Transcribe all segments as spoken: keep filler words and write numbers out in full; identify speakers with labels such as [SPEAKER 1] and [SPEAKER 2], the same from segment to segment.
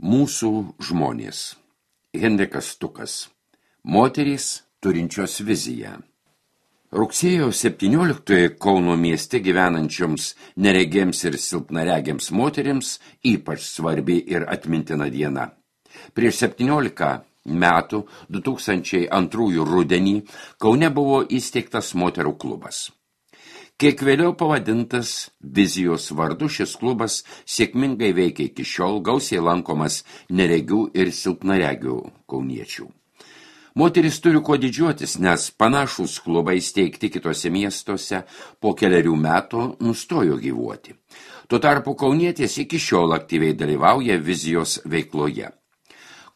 [SPEAKER 1] Mūsų žmonės. Henrikas Stukas. Moterys turinčios viziją. Rugsėjo septynioliktoji Kauno mieste gyvenančioms neregėms ir silpnaregiams moterims ypač svarbi ir atmintina diena. Prieš septyniolika metų, du tūkstančiai antrųjų rudenį, Kaune buvo įsteigtas moterų klubas. Kiek vėliau pavadintas vizijos vardu, šis klubas sėkmingai veikia iki šiol, gausiai lankomas neregių ir silpnaregių kauniečių. Moteris turi kuo didžiuotis, nes panašūs klubai steigti kitose miestuose po keliarių metų nustojo gyvuoti. Tuo tarpu kaunietės iki šiol aktyviai dalyvauja vizijos veikloje.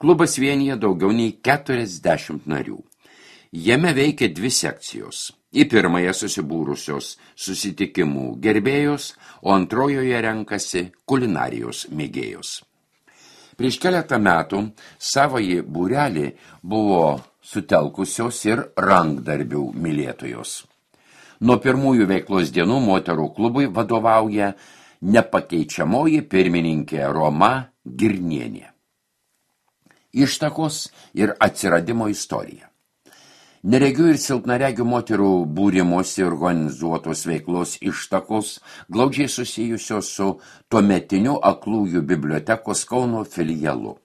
[SPEAKER 1] Klubas vienyje daugiau nei keturiasdešimt narių. Jame veikia dvi sekcijos. Į pirmąją susibūrusios susitikimų gerbėjos, o antrojoje renkasi kulinarijos mėgėjos. Prieš keletą metų savąjį būrelį buvo sutelkusios ir rankdarbių mylėtojos. Nuo pirmųjų veiklos dienų moterų klubui vadovauja nepakeičiamoji pirmininkė Roma Girnienė. Ištakos ir atsiradimo istorija. Neregių ir silpnaregių moterų būrimosi organizuotos veiklos ištakos glaudžiai susijusios su tuometiniu aklųjų bibliotekos Kauno filialu.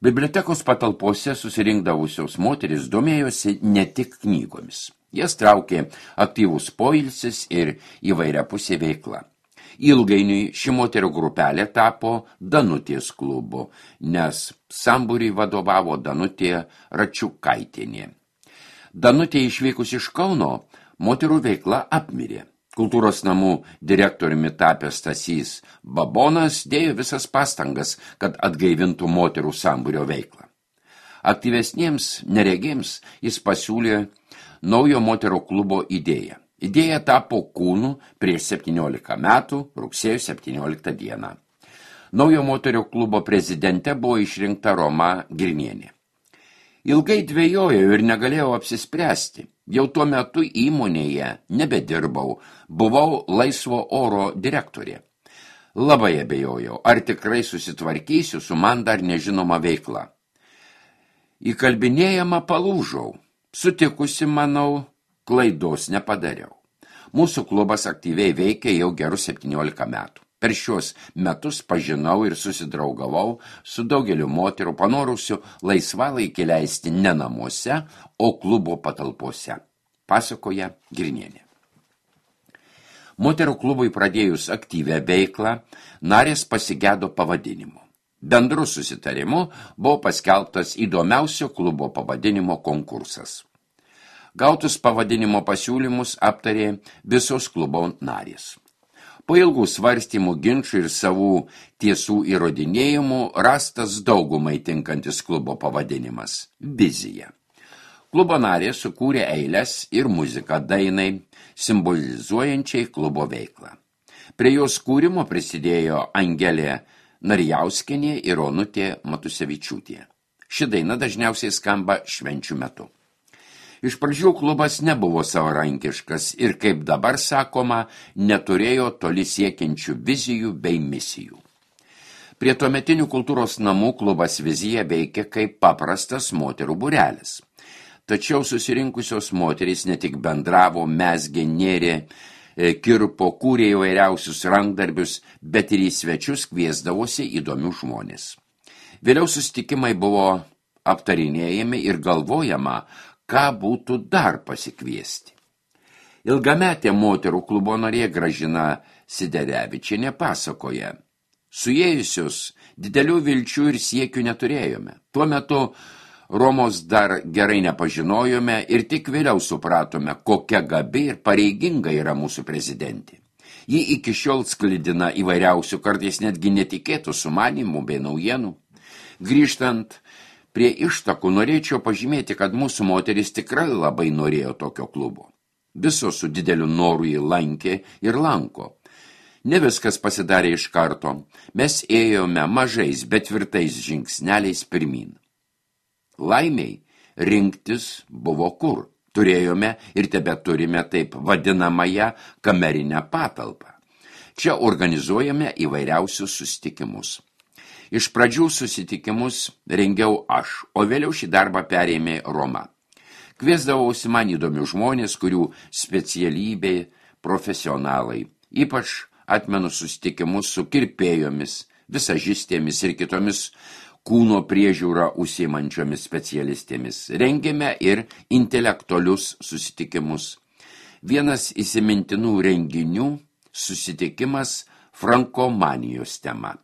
[SPEAKER 1] Bibliotekos patalpose susirinkdavusios moteris domėjosi ne tik knygomis. Jas traukė aktyvus poilsis ir įvairiapusė veikla. Ilgainiui ši moterų grupelė tapo Danutės klubu, nes sambūriui vadovavo Danutė Račiukaitienė. Danutė išvykus iš Kauno, moterų veikla apmirė. Kultūros namų direktoriumi tapęs Stasys Babonas dėjo visas pastangas, kad atgaivintų moterų sambūrio veiklą. Aktyvesniems neregėms jis pasiūlė naujo moterų klubo idėją. Idėja tapo kūnu prieš septyniolika metų, rugsėjo septynioliktą dieną. Naujo moterų klubo prezidente buvo išrinkta Roma Girnienė. Ilgai dvejojau ir negalėjau apsispręsti. Jau tuo metu įmonėje nebedirbau, buvau laisvo oro direktorė. Labai abejojau, ar tikrai susitvarkysiu su man dar nežinoma veikla. Įkalbinėjama palūžau. Sutikusi, manau, klaidos nepadariau. Mūsų klubas aktyviai veikia jau gerus septyniolika metų. Per šios metus pažinau ir susidraugavau su daugeliu moterų panorusių laisvalaikį leisti ne namuose, o klubo patalpose, pasakoja Girnienė. Moterų klubui pradėjus aktyvę veiklą, narės pasigėdo pavadinimo. Bendru susitarimu buvo paskelbtas įdomiausio klubo pavadinimo konkursas. Gautus pavadinimo pasiūlymus aptarė visos klubo narės. Po ilgų svarstymų, ginčų ir savų tiesų įrodinėjimų rastas daugumai tinkantis klubo pavadinimas – Vizija. Klubo narė sukūrė eiles ir muziką dainai, simbolizuojančiai klubo veiklą. Prie jos kūrimo prisidėjo Angelė Narijauskienė ir Onutė Matusevičiūtė. Ši daina dažniausiai skamba švenčių metu. Iš pradžių klubas nebuvo savarankiškas ir, kaip dabar sakoma, neturėjo toli siekiančių vizijų bei misijų. Prie tuometinių kultūros namų klubas Vizija veikia kaip paprastas moterų būrelis. Tačiau susirinkusios moterys ne tik bendravo, mezgė, nėrė, kirpo, kūrė įvairiausius rankdarbius, bet ir į svečius kviesdavosi įdomių žmonės. Vėliau susitikimai buvo aptarinėjami ir galvojama, ką būtų dar pasikviesti. Ilgametė moterų klubo narė Gražina Siderevičienė pasakoja, suėjusius didelių vilčių ir siekių neturėjome. Tuo metu Romos dar gerai nepažinojome ir tik vėliau supratome, kokia gabi ir pareiginga yra mūsų prezidentė. Ji iki šiol sklidina įvairiausių, kartais netgi netikėtų sumanimų bei naujienų. Grįžtant prie ištakų norėčiau pažymėti, kad mūsų moteris tikrai labai norėjo tokio klubo. Visos su dideliu noru jį lankė ir lanko. Ne viskas pasidarė iš karto. Mes ėjome mažais, bet tvirtais žingsneliais pirmin. Laimiai rinktis buvo kur. Turėjome ir tebeturime taip vadinamąją kamerinę patalpą. Čia organizuojame įvairiausius susitikimus. Iš pradžių susitikimus rengiau aš, o vėliau šį darbą perėmė Roma. Kviesdavausi man įdomių žmonės, kurių specialybė profesionalai. Ypač atmenu susitikimus su kirpėjomis, visažistėmis ir kitomis kūno priežiūrą užsiimančiomis specialistėmis. Rengėme ir intelektualius susitikimus. Vienas įsimintinų renginių susitikimas frankomanijos tema.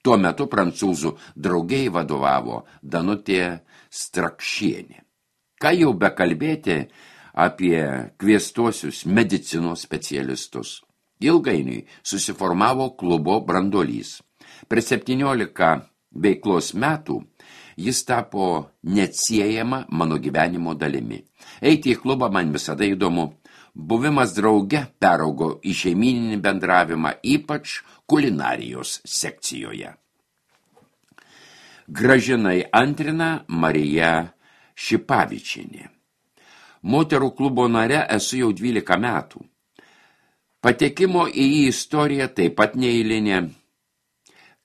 [SPEAKER 1] Tuo metu prancūzų draugiai vadovavo Danutė Strakšienė. Ką jau bekalbėti apie kviestuosius medicinos specialistus. Ilgainiui susiformavo klubo branduolys. Per septyniolika veiklos metų jis tapo neatsiejama mano gyvenimo dalimi. Eiti į klubą man visada įdomu. Buvimas drauge peraugo į šeimyninį bendravimą, ypač kulinarijos sekcijoje. Gražinai antrina Marija Šipavičienė. Moterų klubo nare esu jau dvylika metų. Patekimo į jį istorija taip pat neeilinė.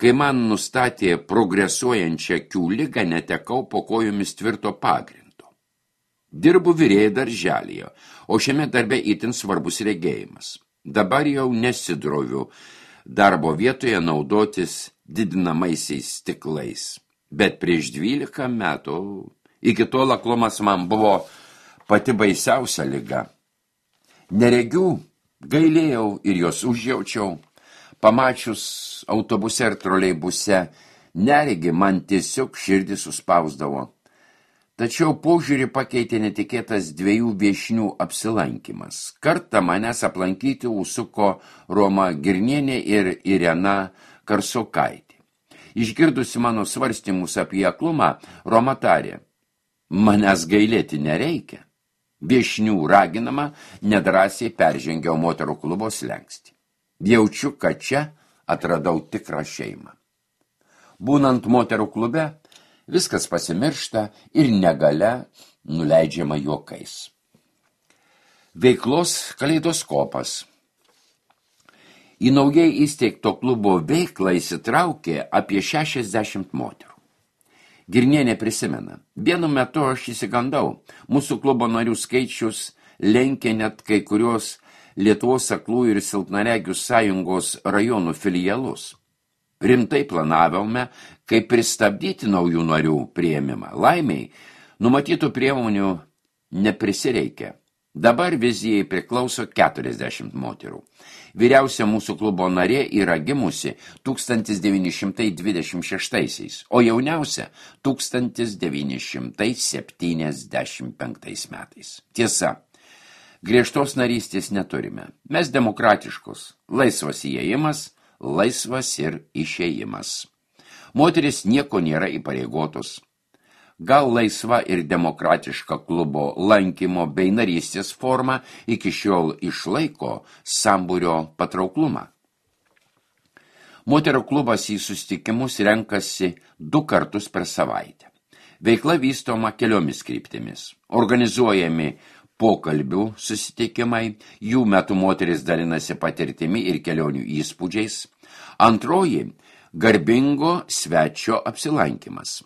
[SPEAKER 1] Kai man nustatė progresuojančią akių ligą, netekau po kojomis tvirto pagrindo. Dirbu virėjai darželyje, o šiame darbe itin svarbus regėjimas. Dabar jau nesidroviu darbo vietoje naudotis didinamaisiais stiklais. Bet prieš dvylika metų, iki tol aklumas man buvo pati baisiausia liga. Neregių gailėjau ir jos užjaučiau. Pamačius autobuse ir troleibuse neregi man tiesiog širdį suspausdavo. Tačiau požiūrį pakeitė netikėtas dviejų viešnių apsilankimas. Kartą manęs aplankyti užsuko Roma Girnienė ir Irena Karsokaitė. Išgirdusi mano svarstymus apie aklumą, Roma tarė: manęs gailėti nereikia. Viešnių raginama nedrąsiai peržengiau moterų klubo slenkstį. Jaučiu, kad čia atradau tikrą šeimą. Būnant moterų klube, viskas pasimiršta ir negalia nuleidžiama juokais. Veiklos kaleidoskopas. Į naujai įsteigto klubo veiklą įsitraukė apie šešiasdešimt moterų. Girnienė prisimena: vienu metu aš įsigandau, mūsų klubo narių skaičius lenkė net kai kurios Lietuvos aklųjų ir silpnaregių sąjungos rajonų filialus. Rimtai planavome, kaip pristabdyti naujų narių priėmimą. Laimiai, numatytų priemonių neprisireikia. Dabar vizijai priklauso keturiasdešimt moterų. Vyriausia mūsų klubo narė yra gimusi tūkstantis devyni šimtai dvidešimt šeštaisiais, o jauniausia tūkstantis devyni šimtai septyniasdešimt penktais metais. Tiesa, griežtos narystės neturime. Mes demokratiškus, laisvas įėjimas, laisvas ir išėjimas. Moteris nieko nėra įpareigotos. Gal laisva ir demokratiška klubo lankymo bei narystės forma iki šiol išlaiko sambūrio patrauklumą. Moterų klubas į susitikimus renkasi du kartus per savaitę. Veikla vystoma keliomis kryptimis. Organizuojami pokalbių susitikimai, jų metu moteris dalinasi patirtimi ir kelionių įspūdžiais. Antroji – garbingo svečio apsilankymas.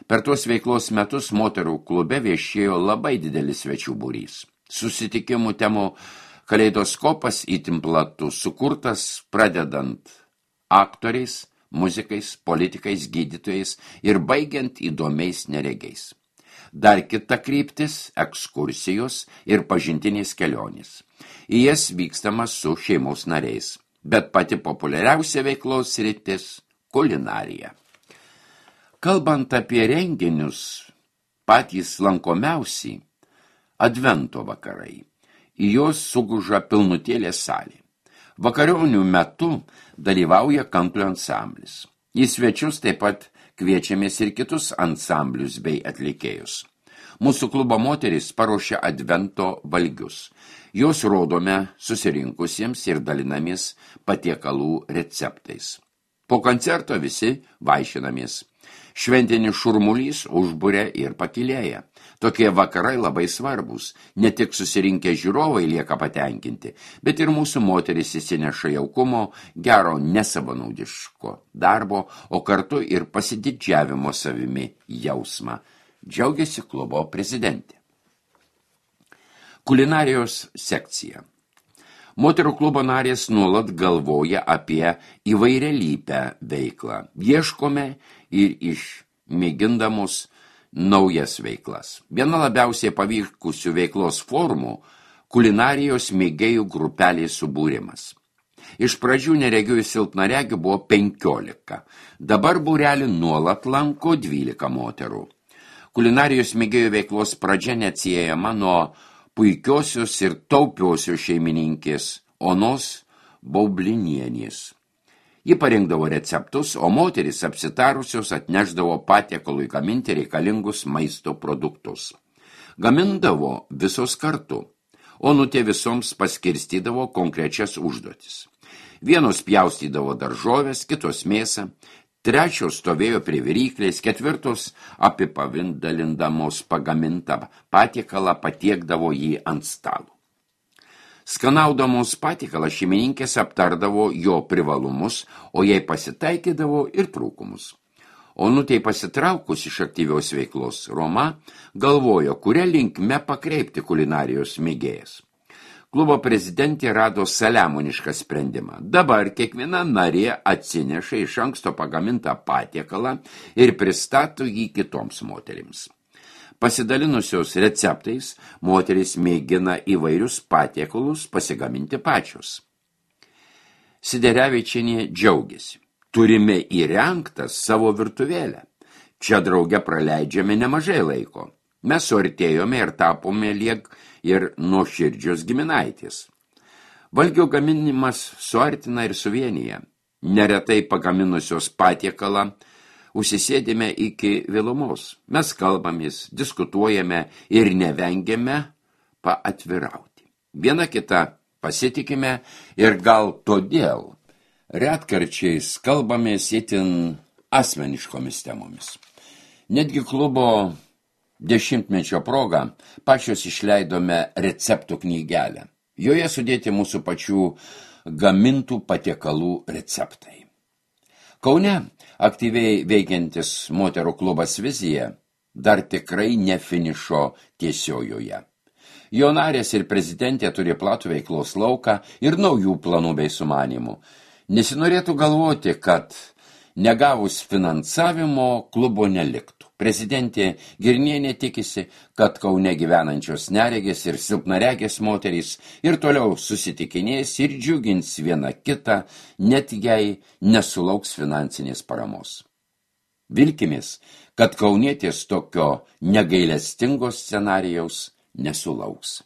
[SPEAKER 1] Per tuos veiklos metus moterų klube viešėjo labai didelis svečių būrys. Susitikimų temų kaleidoskopas itin platus, sukurtas pradedant aktoriais, muzikais, politikais, gydytojais ir baigiant įdomiais neregiais. Dar kita kryptis – ekskursijos ir pažintinės kelionės. Į jas vykstama su šeimos nariais, bet pati populiariausia veiklos sritis – kulinarija. Kalbant apie renginius, patys lankomiausi – advento vakarai. Į jos suguža pilnutėlė salė. Vakarionių metu dalyvauja kanklio ansamblis. Į svečius taip pat kviečiamės ir kitus ansamblius bei atlikėjus. Mūsų klubo moteris paruošia advento valgius. Jos rodome susirinkusiems ir dalinamės patiekalų receptais. Po koncerto visi vaišinamės. Šventinis šurmulys užburia ir pakilėja. Tokie vakarai labai svarbus. Ne tik susirinkę žiūrovai lieka patenkinti, bet ir mūsų moteris įsineša jaukumo, gero nesavanaudiško darbo, o kartu ir pasididžiavimo savimi jausmą. Džiaugiasi klubo prezidentė. Kulinarijos sekcija. Moterų klubo narės nuolat galvoja apie įvairialypę veiklą. Ieškome ir išmėgindamos naujas veiklas. Viena labiausiai pavykusių veiklos formų – kulinarijos mėgėjų grupelės subūrimas. Iš pradžių neregių ir silpnaregių buvo penkiolika. Dabar būrelį nuolat lanko dvylika moterų. Kulinarijos mėgėjų veiklos pradžia neatsiejama nuo puikiosios ir taupiosios šeimininkės Onos Baublinienės. Ji parinkdavo receptus, o moteris apsitarusios atnešdavo patiekalui gaminti reikalingus maisto produktus. Gamindavo visos kartu, Onutė visoms paskirstydavo konkrečias užduotis. Vienos pjaustydavo daržovės, kitos mėsą, trečios stovėjo prie viryklės, ketvirtos apipavindalindamos pagamintą patiekalą patiekdavo jį ant stalo. Skanaudamos patiekalą šeimininkės aptardavo jo privalumus, o jai pasitaikydavo ir trūkumus. Onutei pasitraukus iš aktyvios veiklos, Roma galvojo, kuria linkme pakreipti kulinarijos mėgėjas. Klubo prezidentė rado saliamonišką sprendimą. Dabar kiekviena narė atsineša iš anksto pagamintą patiekalą ir pristato jį kitoms moterims. Pasidalinusios receptais, moteris mėgina įvairius patiekalus pasigaminti pačios. Siderevičienė džiaugiasi. Turime įrengtą savo virtuvėlę. Čia drauge praleidžiame nemažai laiko. Mes suartėjome ir tapome liek ir nuoširdžios giminaitės. Valgio gaminimas suartina ir suvienyje. Neretai pagaminusios patiekalą užsisėdime iki vėlumos. Mes kalbamės, diskutuojame ir nevengiame paatvirauti. Viena kita pasitikime ir gal todėl retkarčiais kalbamės itin asmeniškomis temomis. Netgi klubo dešimtmečio proga pačios išleidome receptų knygelę. Joje sudėti mūsų pačių gamintų patiekalų receptai. Kaune aktyviai veikiantis moterų klubas Vizija dar tikrai ne finišo tiesiojoje. Jo narės ir prezidentė turi platų veiklos lauką ir naujų planų bei sumanimų. Nesinorėtų galvoti, kad negavus finansavimo klubo neliktų. Prezidentė Girnienė tikisi, kad Kaune gyvenančios neregės ir silpnaregės moterys ir toliau susitikinės ir džiugins vieną kitą, net jei nesulauks finansinės paramos. Vilkimės, kad kaunietės tokio negailestingo scenarijaus nesulauks.